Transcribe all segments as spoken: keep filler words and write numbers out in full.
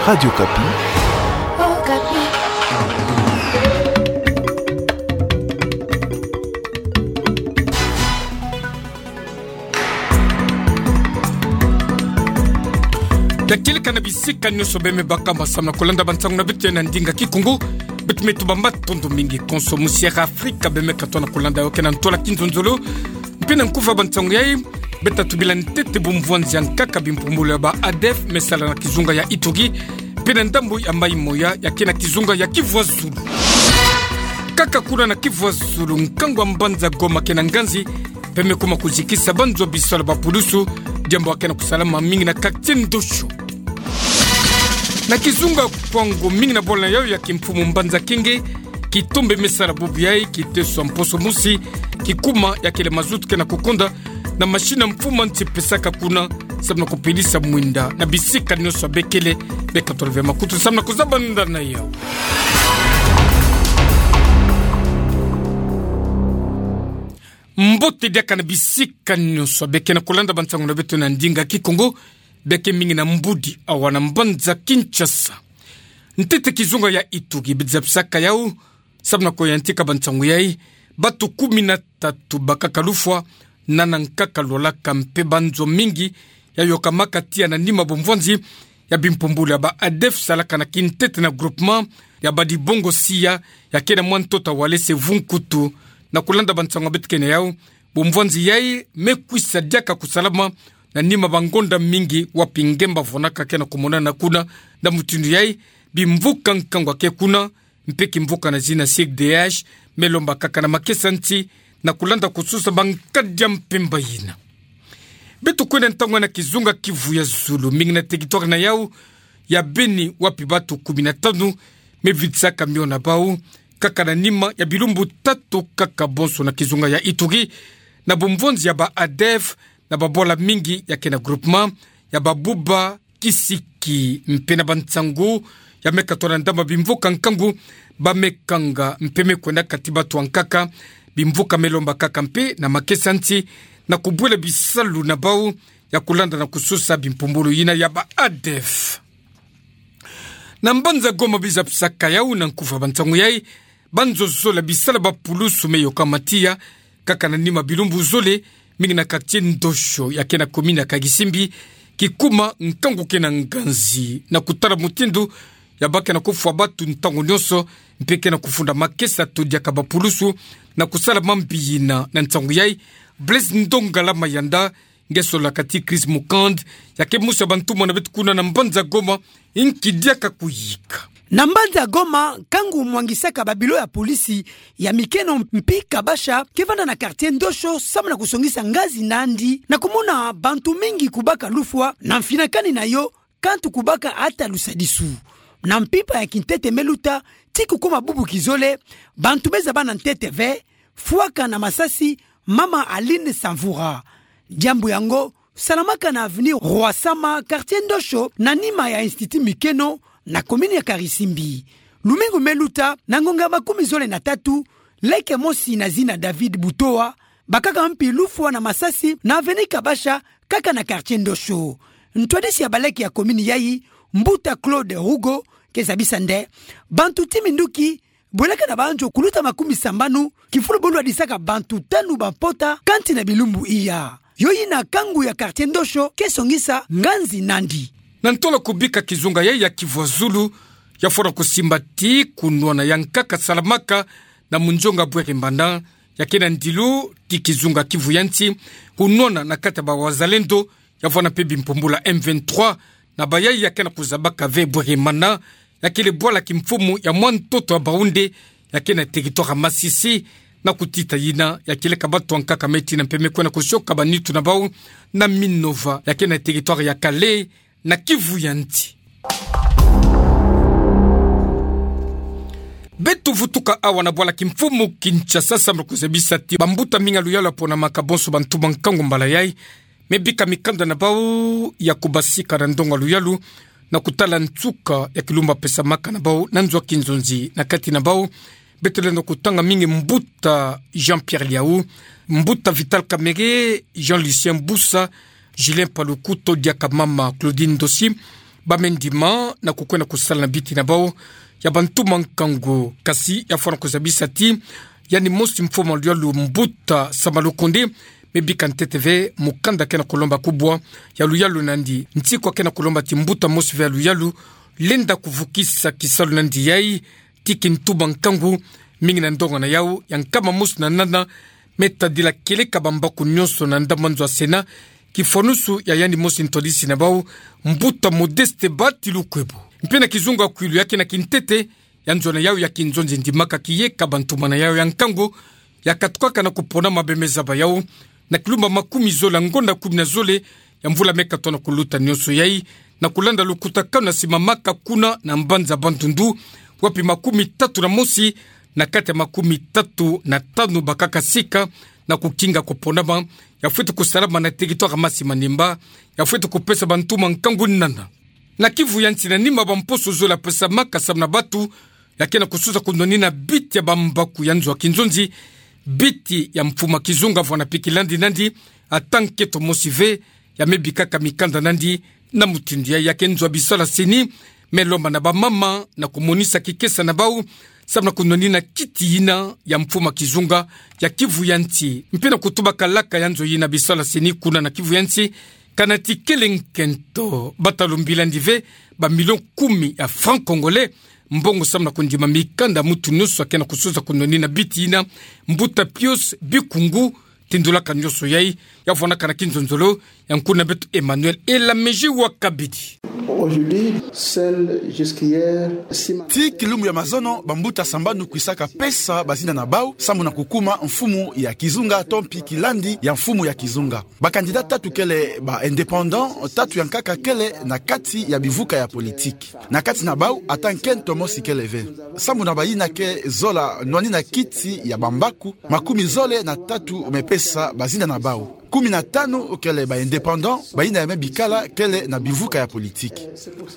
Radio Okapi. Bia kieleka na bisika nyonso bia me baka, samu na kolanda bansangu na beto na ndinga Kikongo. Beto me tuba matondo mingi konso musi Air Afrika bia me katoa na kolanda yo ke na ntwala kinzonzolo. Mpe na nkufa bansangu yai, beta tubila ntete bumvwanzi ya nkaka bimpumbulu ya ba ADEF me sala na kizunga ya Ituri, mpe na ndambu ya Mai Moya ya ke na kizunga ya Kivu ya Zulu. Kaka kuna na Kivu ya Zulu, nkangu wa mbanza Goma ke na nganzi, mpe me kuma kuzikisa banzo bisalu ya bapulusu, diambu ya ke na kusalama mingi na quartier Ndosho. Na kizunga Kwango, mingi na bwala na yau ya kimfumu mbanza Kenge, kitombe me sala bubu yai, kiteso ya mposo mosi, kikuma ya kele mazutu ke na kukonda, na mashini ya mfumu nti pesaka kuna, samu na kupelisa mwinda na bisika nyonso bia kele. Beka tolove makutu samu na kuzabanda na yau. Mbote diaka na bisika nyonso bia ke na kolanda bansangu na beto na ndinga Kikongo, bia ke mingi na mbudi awa na mbanza Kinshasa. Ntete kizunga ya Ituri bia zabisaka yau, samu na kuyantika bansangu yai, batu kumi na tatu bakaka lufwa, na nkaka lwalaka mpe banzo mingi yayokamaka tiya na nima bumvwanzi ya bimpumbulu ya ba ADEF salaka na kintete na groupement ya Badibongo Sia, ya ke na mwa ntoto wa Walese Vunkutu. Na kolanda bansangu ya beto ke na yau, bumvwanzi yai me kwisa diaka kusalama na nima bangonda mingi wapi ngemba vonaka ke na kumonana kuna. Na mutindu yai, bimvuka nkangu ya ke kuna, mpe kimvuka na zina C D H, me lomba kaka na makesa nti, na kolanda kusosa bankadi ya mpemba yina. Beto kwenda ntangu na kizunga Kivu ya Zulu, mingi na territoire na yau ya Beni, wapi batu kumi na tanu me vidisaka mio na bau, kaka na nima ya bilumbu tatu kaka bonso na kizunga ya Ituri, na bumvwanzi ya ba ADEF, na babwala mingi ya ke na groupement ya Babuba Kisiki, mpe na bansangu ya me katoa na ndambu ya bimvuka nkangu ba me kanga mpe me kwenda kati batu ya nkaka, bimvuka me lomba kaka mpe na makesa nti, na kubwela bisalu na bau ya kolanda na kusosa bimpumbulu yina ya ba ADEF. Na mbanza Goma bia zabisaka yau na nkufa bansangu yai, banzo zole ya bisalu ya bapulusu me yokama tiya, kaka na nima bilumbu zole, mingi na quartier Ndosho ya ke na commune ya Karisimbi, kikuma nkangu ke na nganzi, na kutala mutindu ya ba ke na kufwa batu ntangu nyonso, mpe ke na kufunda makesa to diaka bapulusu na kusala mambi yina. Na nsangu yai, Blaise Ndongala Mayanda, nge solola kati Chris Mukand, ya ke musi ya bantumwa na beto kuna na mbanza Goma, nki diaka kuyika. Na mbanza Goma, nkangu mwangisaka babilo ya polisi ya mikeno mpi kabasha ke vanda na quartier Ndosho samu na kusongisa ngazi nandi, na kumona bantu mingi kubaka lufwa na mfinakani na yo, kantu kubaka ata lusadisu. Na mpimpa ya kintete me luta, ti kukoma bubu kizole, bantu me zaba na ntete ve fwaka na masasi mama Aline Samvura. Diambu yango salamaka na avenue Roi Sama, quartier Ndosho, na nima ya Institut Mikeno, na commune ya Karisimbi. Lumingu me luta, na ngonga ya makumi zole na tatu, leke mosi na zina David Butoa bakaka mpi lufwa na masasi na avenue Kabasha, kaka na quartier Ndosho. Ntwadisi ya baleke ya commune yai, mbuta Claude Rugo, ke zabisa nde bantu ti minduki bwelaka na banzo kuluta makumi sambanu, kifulu bo lwadisaka bantu tanu bampota kanti na bilumbu iya. Yo yina nkangu ya quartier Ndosho ke songisa ngazi nandi. Na ntola kubika kizunga yai ya Kivu ya Zulu, ya fwana kusimba ti kunwana ya nkaka salamaka na munzonga Bwere Mana, ya ke na ndilu ti kizunga Kivu ya Nsi, kunwana na kati ya ba Wazalendo, ya vwana mpe bimpumbulu ya M vingt-trois, na bayai ya ke na kuzabaka ve Bwere Mana, ya kele bwala kimfumu ya mwa ntoto ya Baoundé, ya ke na territoire ya Masisi, na kutita yina, ya kieleka bato ya nkaka me tina mpe me kwenda kusioka banitu na bau na Minova, ya ke na territoire ya Kalehe, na Kivu ya Nsi. Beto vutuka awa na bwala kimfumu Kinshasa, samu na kuzabisa ti bambuta mingi ya luyalu ya ponamaka bonso bantu ba nkangu mbala yai, me bika mikanda na bau ya kubasika na ndonga luyalu, na kutala nsuka ya kilumbu pesamaka na bau na nzo ya kinzonzi na kati na bau. Beto lenda kutanga mingi mbuta Jean-Pierre Liau, mbuta Vital Kamerhe, Jean-Lucien Busa, Julien Paluku to diaka mama Claudine Ndosi, Ba me ndima na kukwenda kusala na biti na bau ya bantuma nkangu, kasi ya fwana kuzabisa ti yandi mosi mfumu a luyalu Mbuta Sama Lukonde me bika ntete ve mukanda ke na kulomba kubwa ya luyalu na yandi. Nti kwa ke na kulomba ti mbuta mosi ve ya luyalu lenda kuvukisa kisalu na yandi yai ti kintuma nkangu, mingi na ndonga na yau ya nkama mosi na nana me tadila kieleka bambaku nyonso na ndambu a nzo ya Sénat, kifwanusu ya yandi mosi ntwadisi na bau, Mbuta Modeste Bahati Lukwebo. Mpe na kizunga kwilu ya ke na kintete, ya nzo na yau ya kinzonzi ndimaka kieka bantuma na yau ya nkangu, ya katukaka na kupona mabe me zaba yau na kilumba makumi zole ya ngonda kumi na zole ya mvula me katono kuluta nyonso yai, na kulanda lukutakanu na simamaka kuna na mbanza Bandundu, wapi makumi tatu na mosi na kati ya makumi tatu na tanu bakaka sika na kukinga kuponama, ya fweti kusalama na territoire ya Masi Manimba, ya fweti kupesa bantuma nkangu nana. Na Kivu ya nsi, na nima bamposo zole ya pesamaka samu na batu ya ke na kususa kunwanina biti ya bambaku ya nzo ya kinzonzi, biti ya mfumu a kizunga Vwana Piki Landi na yandi, ata nkento mosi ve ya me bikaka mikanda na yandi. Na mutindu yai, ya ke nzo ya bisalu ya CENI me lomba na bamama na kumonisa kikesa na bau samu na kunwanina kiti yina ya mfumu a kizunga ya Kivu ya nsi. Mpe na kutuba kalaka ya nzo yina bisalu ya CENI kuna na Kivu ya nsi, kana ti kele nkento, bata lumbila yandi ve ba million kumi ya francs congolais, mbongo samu na kundima mikanda ya mutu nyonso ya ke na kususa kunwanina biti yina, Mbuta Pius Bikungu tindulaka nyonso yai, ya vwanaka na kinzonzolo ya nkuna beto Emmanuel Elamezi wa Kabidi. Aujourd'hui, seul jusqu'hier, six... Ti kilumbu ya mazono, bambuta sambanu kwisaka pesa bazina na bau samu na kukuma mfumu ya kizunga to mpi kilandi ya mfumu ya kizunga. Ba candidat tatu kele ba indépendant, tatu ya nkaka kele na kati ya bivuka ya politique. Na kati na bau, ata nkento mosi kele ve. Samu na bayina ke zola nwanina kiti ya bambaku, makumi zole na tatu me pesa bazina na bau. Kumi na tanu kele ba indépendant, bayina ya me bikala kele na bivuka ya politique.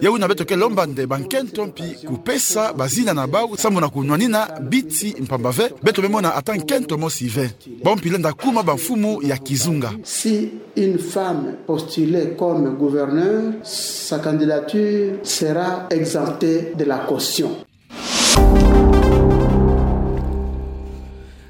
Ya wuna beto ke lomba nde bankento mpi kupesa bazina na bau samu na kunwanina biti, mpamba ve beto me mona ata nkento mosi ve. Bau mpi lenda kuma bamfumu ya kizunga. Si une femme postulait comme gouverneur, sa candidature sera exemptée de la caution.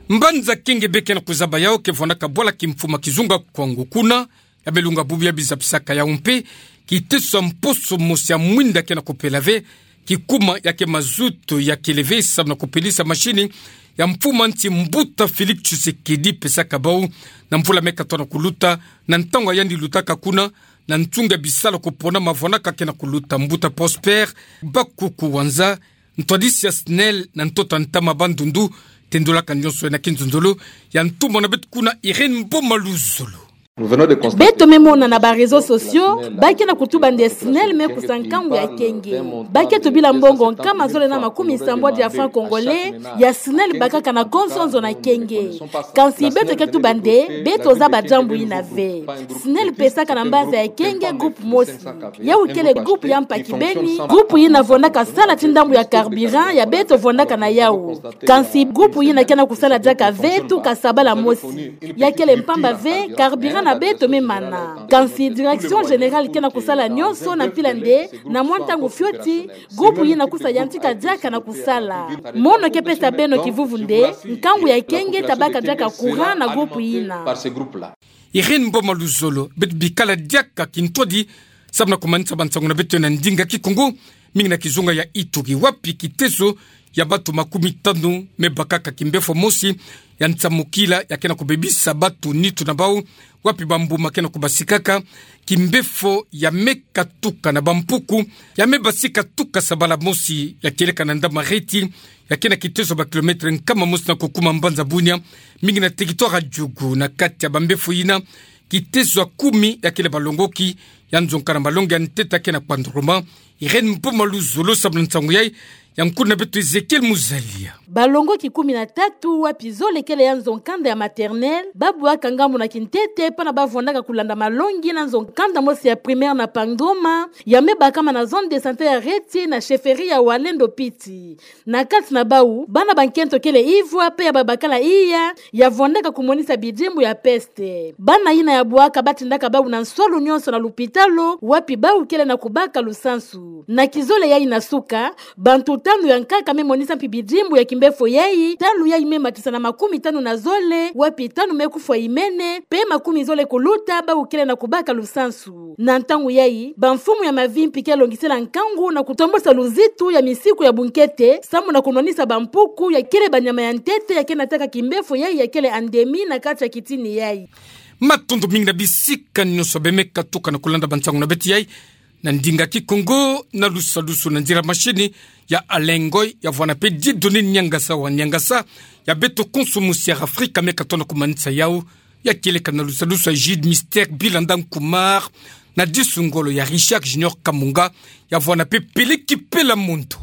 Mbanza Kenge be ke na kuzaba yau ke vwanaka bwala kimfumu a kizunga Kwango kuna, ya belunga bubu ya bizapisaka yau mpe, kiteso ya mposo mosi ya mwinda ke na kupela ve, kikuma ya ke mazutu ya kele ve samu na kupelisa mashini ya mfumu a nsi Mbuta Félix Tshisekedi pesaka bau na mvula me katono kuluta, na ntangu ya yandi lutaka kuna na nsunga bisalu kuponama vwanaka ke na kuluta. Mbuta Prosper Bakuku Wanza, ntwadisi ya SNEL na ntoto a ntama Bandundu, tendolaka nyonso na kinzonzolo ya ntumwa na beto kuna Irène Mboma Luzolo. Beto me mona na ba réseaux sociaux, ba ke na kutuba nde SNEL me kusa nkangu ya Kenge. Ba ke tubila mbongo nkama zole na makumi sambwadi ya francs congolais ya SNEL bakaka na konso nzo na Kenge. Kansi beto ke tuba nde beto zaba diambu yina ve. SNEL pesaka na mbanza ya Kenge groupe mosi. Yau kele groupe ya mpa kibeni, groupe yina vwandaka sala ti ndambu ya carburant ya beto vwandaka na yau. Kansi groupe yina ke na kusala diaka ve tuka sabala mosi. Ya kele mpamba ve, carburant na beto me mana. Kansi direction générale ke na kusala nyonso na mpila nde, na mwa ntangu fioti, groupe yina kusa yantika diaka na kusala. Mono ke pesa beno kivuvu nde, nkangu ya Kenge ta baka diaka courant na groupe yina. Irène Mboma Luzolo, beto bikala diaka kintwadi, samu na kumanisa bansangu na beto na ndinga Kikongo, mingi na kizunga ya Ituri, wapi kiteso ya batu makumi tanu me bakaka kimbefo mosi ya nsamukila ya ke na kubebisa batu nitu na bau, wapi bambuma ke na kubasikaka, kimbefo ya me katuka na bampuku, ya me basika tuka sabala mosi ya kieleka na Ndamaheti, ya ke na kiteso ba kilomètre nkama mosi na kukuma mbanza Bunia, mingi na territoire ya Djugu. Na kati ya bambefo yina, kiteso ya kumi ya kele balongoki, ya nzonka na malongi ya ntete ya ke na kwanduruma, Irène Mpuma Luzolo sambala nsangu yai, ya nkuna beto Ezekiel Muzalia. Balongoki kumi na tatu wapi zole kele ya nzo nkanda ya maternelle, babwaka ngambu na kintete, pana bavwandaka kulanda malongi na nzo nkanda mosi ya primaire na Pangoma, ya me bakama na zone de santé ya Reti na chefferie ya Wallendo Piti. Na kati na bau, bana ba nkento kele ivwa, pe ya babakala iya, ya vwandaka kumonisa bidimbu ya peste. Bana yina ya bwaka batindaka bau na nswalu nyonso na lupitalo, wapi bau kele na kubaka lusansu. Na kizole yai na suka, bantu tanu ya nkaka me monisa mpi bidimbu ya kimbefo yai, tanu yai me matisa na makumi tanu na zole, wapi tanu me kufwa imene, pe makumi zole kuluta, bau kele na kubaka lusansu. Na ntangu yai, bamfumu ya mavimpi ke longisela nkangu na kutombosa luzitu ya misiku ya bunkete, samu na kunwanisa bampuku ya kele banyama ya ntete ya ke nataka kimbefo yai ya kele endémie na kati ya kitini yai. Matondo mingi na bisika nyonso bie me katuka na kulanda bansangu na beto yai, na ndinga Kikongo, na lusadusu na nzila machine ya Alain Ngoy, ya vwanda pe Dieudonné Niangasa wa Niangasa, ya beto konso mosi ya Afrika me katona kumanisa yau, ya kieleka na lusadusu ya Jude Mister Bilanda Nkumar, na disu ngolo ya Richard Junior Kamunga, ya vwanda pe Peleki Pela Mondo.